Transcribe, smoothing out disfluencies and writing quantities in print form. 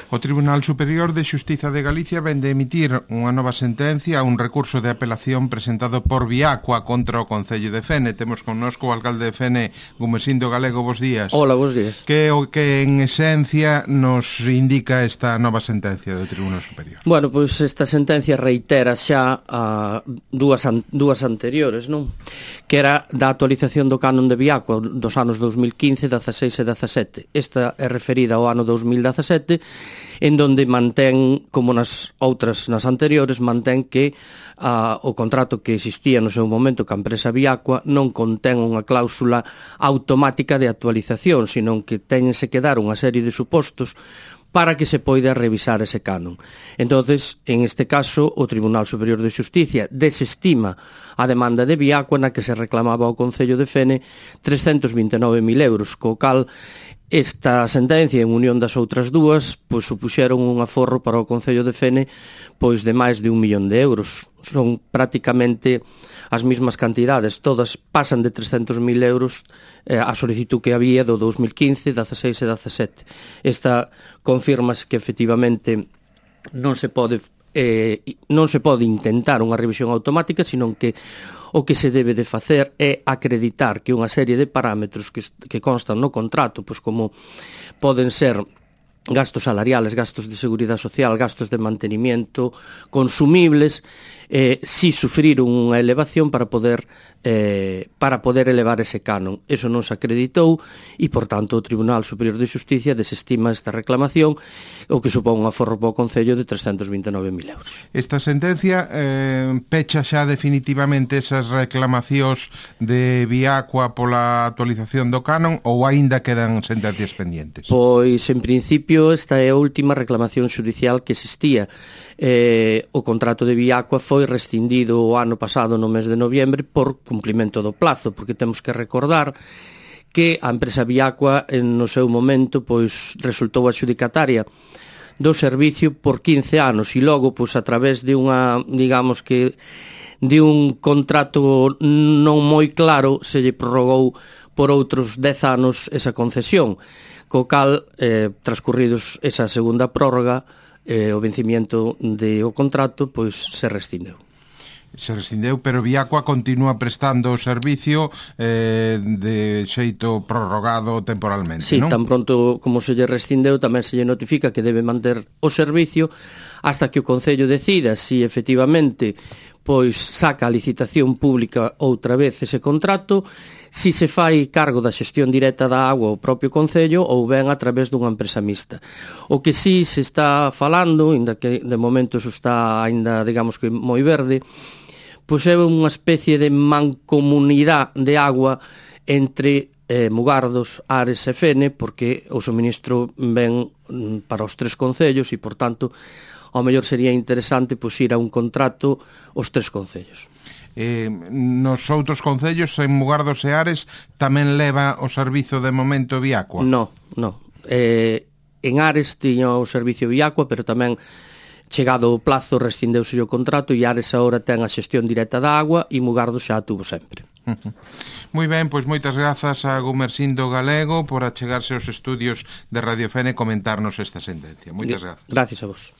O Tribunal Superior de Xustiza de Galicia ven de emitir unha nova sentencia a un recurso de apelación presentado por Viacua contra o Concello de Fene. Temos connosco o alcalde de Fene, Gumesindo Galego. Bos días. Hola, bos días. Que o que en esencia nos indica esta nova sentencia do Tribunal Superior? Bueno, pois esta sentencia reitera xa a dúas anteriores, non? Que era da actualización do canon de Viacua dos anos 2015, 16 e 17. Esta é referida ao ano 2017, en donde mantén, como nas anteriores, mantén que o contrato que existía no seu momento ca empresa Viacua non contén unha cláusula automática de actualización, sino que téñense que dar unha serie de supostos para que se poida revisar ese canon. Entonces, en este caso, o Tribunal Superior de Xusticia desestima a demanda de Viacua na que se reclamaba ao Concello de Fene 329.000 euros, co cal esta sentencia, en unión das outras dúas, pois supuxeron un aforro para o Concello de Fene pois de máis de 1 millón de euros. Son prácticamente as mesmas cantidades, todas pasan de 300.000 euros a solicitud que había do 2015, 16 e 17. Esta confirmase que efectivamente non se pode intentar unha revisión automática, senón que o que se debe de facer é acreditar que unha serie de parámetros que constan no contrato, pois como poden ser gastos salariales, gastos de seguridade social, gastos de mantenimiento, consumibles, si sufriron unha elevación para poder elevar ese canon. Eso non se acreditou e, por tanto, o Tribunal Superior de Xusticia desestima esta reclamación, o que supón un aforro para o Concello de 329.000 euros. Esta sentencia pecha xa definitivamente esas reclamacións de Viacua pola actualización do canon ou aínda quedan sentencias pendientes? Pois, en principio, esta é a última reclamación xudicial que existía. O contrato de Viacua foi rescindido o ano pasado no mes de noviembre por cumplimento do plazo, porque temos que recordar que a empresa Viacua no seu momento pois resultou adxudicataria do servicio por 15 anos e logo pois a través de unha, digamos que de un contrato non moi claro se lle prorrogou por outros 10 anos esa concesión, co cal transcurridos esa segunda prórroga o vencimiento do contrato pois se rescindeu. Se rescindeu, pero Viacua continúa prestando o servicio de xeito prorrogado temporalmente, sí, non? Tan pronto como se lle rescindeu, tamén se lle notifica que debe manter o servicio hasta que o Concello decida si efectivamente pois saca a licitación pública outra vez ese contrato, si se fai cargo da xestión directa da agua ao propio Concello ou ben a través dunha empresa mixta. O que si se está falando, ainda que de momento eso está ainda, digamos que moi verde, pois é unha especie de mancomunidade de agua entre Mugardos, Ares e Fene, porque o suministro ven para os 3 concellos e, por tanto, ao mellor sería interesante pois ir a un contrato os 3 concellos. Nos outros concellos, en Mugardos e Ares, tamén leva o servizo de momento Viacua? No. En Ares tiña o servicio Viacua, pero tamén chegado o plazo rescindeuse o contrato e Ares agora ten a xestión directa da agua e Mugardos xa a tuvo sempre. Moi ben, pois moitas grazas a Gumesindo Galego por achegarse aos estudios de Radio Fene e comentarnos esta sentencia. Moitas grazas. Gracias a vos.